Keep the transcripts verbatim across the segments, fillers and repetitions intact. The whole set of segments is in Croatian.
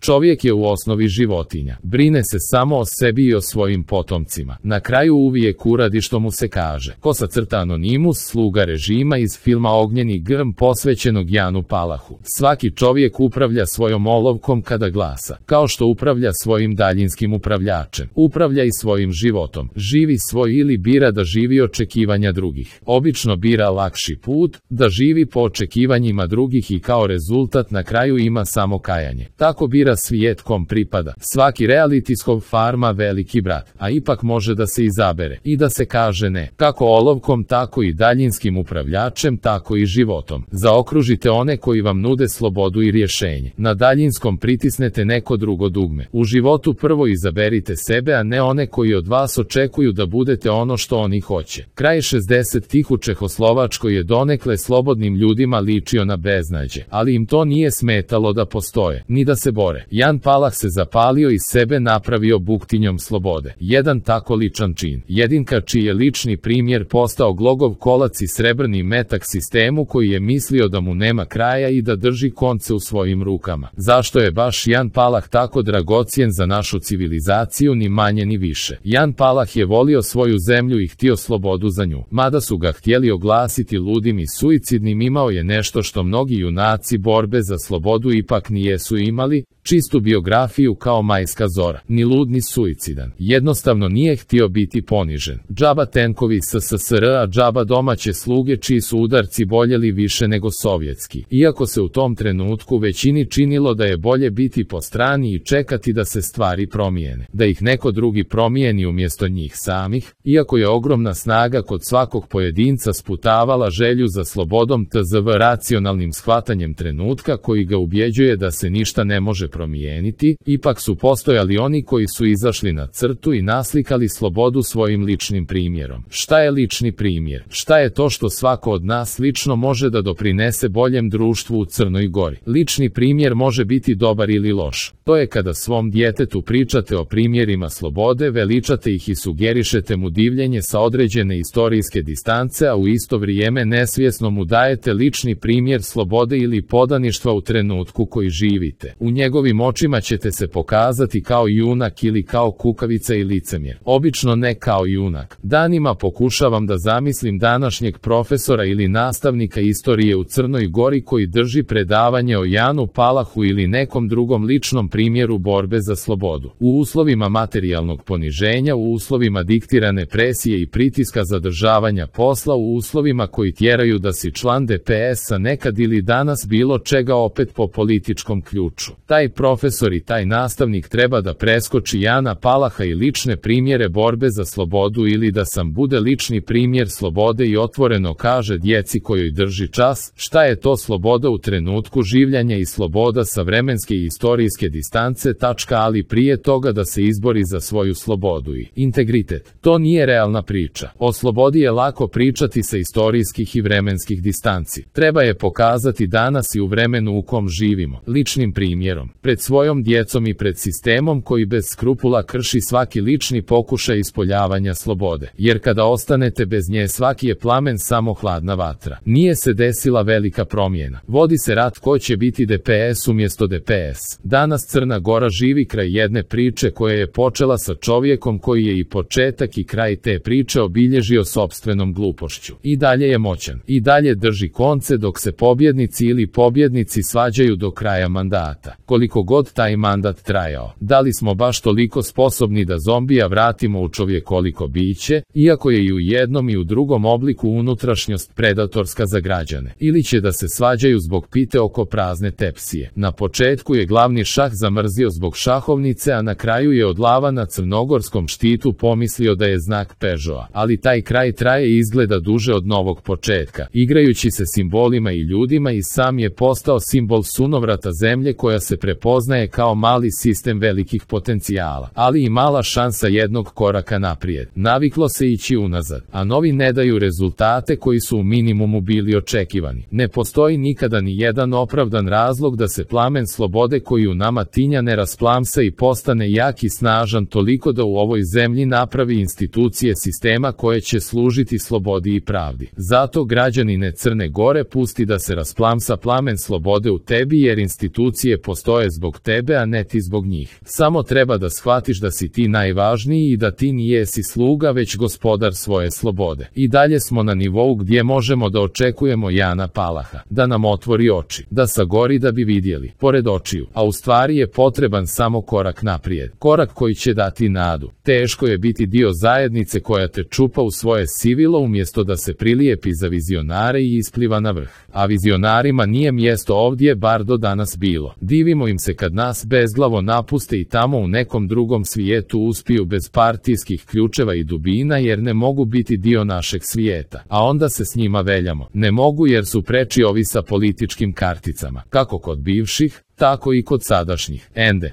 Čovjek je u osnovi životinja. Brine se samo o sebi i o svojim potomcima. Na kraju uvijek uradi što mu se kaže. Kosa crta Anonimus, sluga režima iz filma Ognjeni grm posvećenog Janu Palahu. Svaki čovjek upravlja svojom olovkom kada glasa. Kao što upravlja svojim daljinskim upravljačem. Upravlja i svojim životom. Živi svoj ili bira da živi očekivanja drugih. Obično bira lakši put, da živi po očekivanjima drugih i kao rezultat na kraju ima samo kajanje. Tako bira svijet kom pripada. Svaki realitijskog farma veliki brat, a ipak može da se izabere i da se kaže ne. Kako olovkom, tako i daljinskim upravljačem, tako i životom. Zaokružite one koji vam nude slobodu i rješenje. Na daljinskom pritisnete neko drugo dugme. U životu prvo izaberite sebe, a ne one koji od vas očekuju da budete ono što oni hoće. Kraj šezdesetih u Čehoslovačkoj je donekle slobodnim ljudima ličio na beznađe, ali im to nije smetalo da postoje, ni da se bore. Jan Palah se zapalio i sebe napravio buktinjom slobode. Jedan tako ličan čin. Jedinka čiji je lični primjer postao glogov kolac i srebrni metak sistemu koji je mislio da mu nema kraja i da drži konce u svojim rukama. Zašto je baš Jan Palah tako dragocjen za našu civilizaciju, ni manje ni više? Jan Palah je volio svoju zemlju i htio slobodu za nju. Mada su ga htjeli oglasiti ludim i suicidnim, imao je nešto što mnogi junaci borbe za slobodu ipak nijesu imali, čistu biografiju kao majska zora. Ni lud ni suicidan. Jednostavno nije htio biti ponižen. Džaba tenkovi S S S R, a džaba domaće sluge čiji su udarci boljeli više nego sovjetski. Iako se u tom trenutku većini činilo da je bolje biti po strani i čekati da se stvari promijene. Da ih neko drugi promijeni umjesto njih samih, iako je ogromna snaga kod svakog pojedinca sputavala želju za slobodom tzv racionalnim shvatanjem trenutka koji ga ubjeđuje da se ništa ne može promijeniti, ipak su postojali oni koji su izašli na crtu i naslikali slobodu svojim ličnim primjerom. Šta je lični primjer? Šta je to što svako od nas lično može da doprinese boljem društvu u Crnoj Gori? Lični primjer može biti dobar ili loš. To je kada svom djetetu pričate o primjerima slobode, veličate ih i sugerišete mu divljenje sa određene istorijske distance, a u isto vrijeme nesvjesno mu dajete lični primjer slobode ili podaništva u trenutku koji živite. U njegovim očima ćete se pokazati kao junak ili kao kukavica i licemjer. Obično ne kao junak. Danima pokušavam da zamislim današnjeg profesora ili nastavnika istorije u Crnoj Gori koji drži predavanje o Janu Palahu ili nekom drugom ličnom primjeru borbe za slobodu. U uslovima materijalnog poniženja, u uslovima diktirane presije i pritiska zadržavanja posla, u uslovima koji tjeraju da si član D P S-a nekad ili danas bilo čega opet po političkom ključu. Taj profesor i taj nastavnik treba da preskoči Jana Palaha i lične primjere borbe za slobodu ili da sam bude lični primjer slobode i otvoreno kaže djeci kojoj drži čas šta je to sloboda u trenutku življenja i sloboda sa vremenske i istorijske distance, tačka, ali prije toga da se izbori za svoju slobodu i integritet. To nije realna priča. O slobodi je lako pričati sa istorijskih i vremenskih distanci. Treba je pokazati danas i u vremenu u kom živimo, ličnim primjerom, pred svojom djecom i pred sistemom koji bez skrupula krši svaki lični pokušaj ispoljavanja slobode. Jer kada ostanete bez nje svaki je plamen samo hladna vatra. Nije se desila velika promjena. Vodi se rat ko će biti D P S umjesto D P S. Danas Crna Gora živi kraj jedne priče koja je počela sa čovjekom koji je i početak i kraj te priče obilježio sopstvenom glupošću. I dalje je moćan. I dalje drži konce dok se pobjednici ili pobjednici svađaju do kraja mandata. Koliko god taj mandat trajao. Da li smo baš toliko sposobni da zombija vratimo u čovjekoliko biće, iako je i u jednom i u drugom obliku unutrašnjost predatorska za građane? Ili će da se svađaju zbog pite oko prazne tepsije? Na početku je glavni šah zamrzio zbog šahovnice, a na kraju je od lava na crnogorskom štitu pomislio da je znak Peugeota. Ali taj kraj traje i izgleda duže od novog početka. Igrajući se simbolima i ljudima i sam je postao simbol sunovrata zemlje koja se prepoznaje kao mali sistem velikih potencijala, ali i mala šansa jednog koraka naprijed. Naviklo se ići unazad, a novi ne daju rezultate koji su u minimumu bili očekivani. Ne postoji nikada ni jedan opravdan razlog da se plamen slobode koji u nama tinja ne rasplamsa i postane jak i snažan toliko da u ovoj zemlji napravi institucije sistema koje će služiti slobodi i pravdi. Zato građanine Crne Gore pusti da se rasplamsa plamen slobode u tebi jer institucije postoje zbog tebe, a ne ti zbog njih. Samo treba da shvatiš da si ti najvažniji i da ti nijesi sluga već gospodar svoje slobode. I dalje smo na nivou gdje možemo da očekujemo Jana Palaha, da nam otvori oči, da sagori da bi vidjeli, pored očiju, a u stvari je potreban samo korak naprijed, korak koji će dati nadu. Teško je biti dio zajednice koja te čupa u svoje sivilo umjesto da se prilijepi za vizionare i ispliva na vrh. A vizionarima nije mjesto ovdje bar do danas bilo. Divimo im se kad nas bezglavo napuste i tamo u nekom drugom svijetu uspiju bez partijskih ključeva i dubina jer ne mogu biti dio našeg svijeta. A onda se s njima veljamo. Ne mogu jer su preči ovi sa političkim karticama. Kako kod bivših, tako i kod sadašnjih. Ende.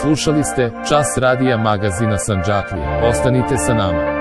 Slušali ste Čas radija magazina Sandžaklija. Ostanite sa nama.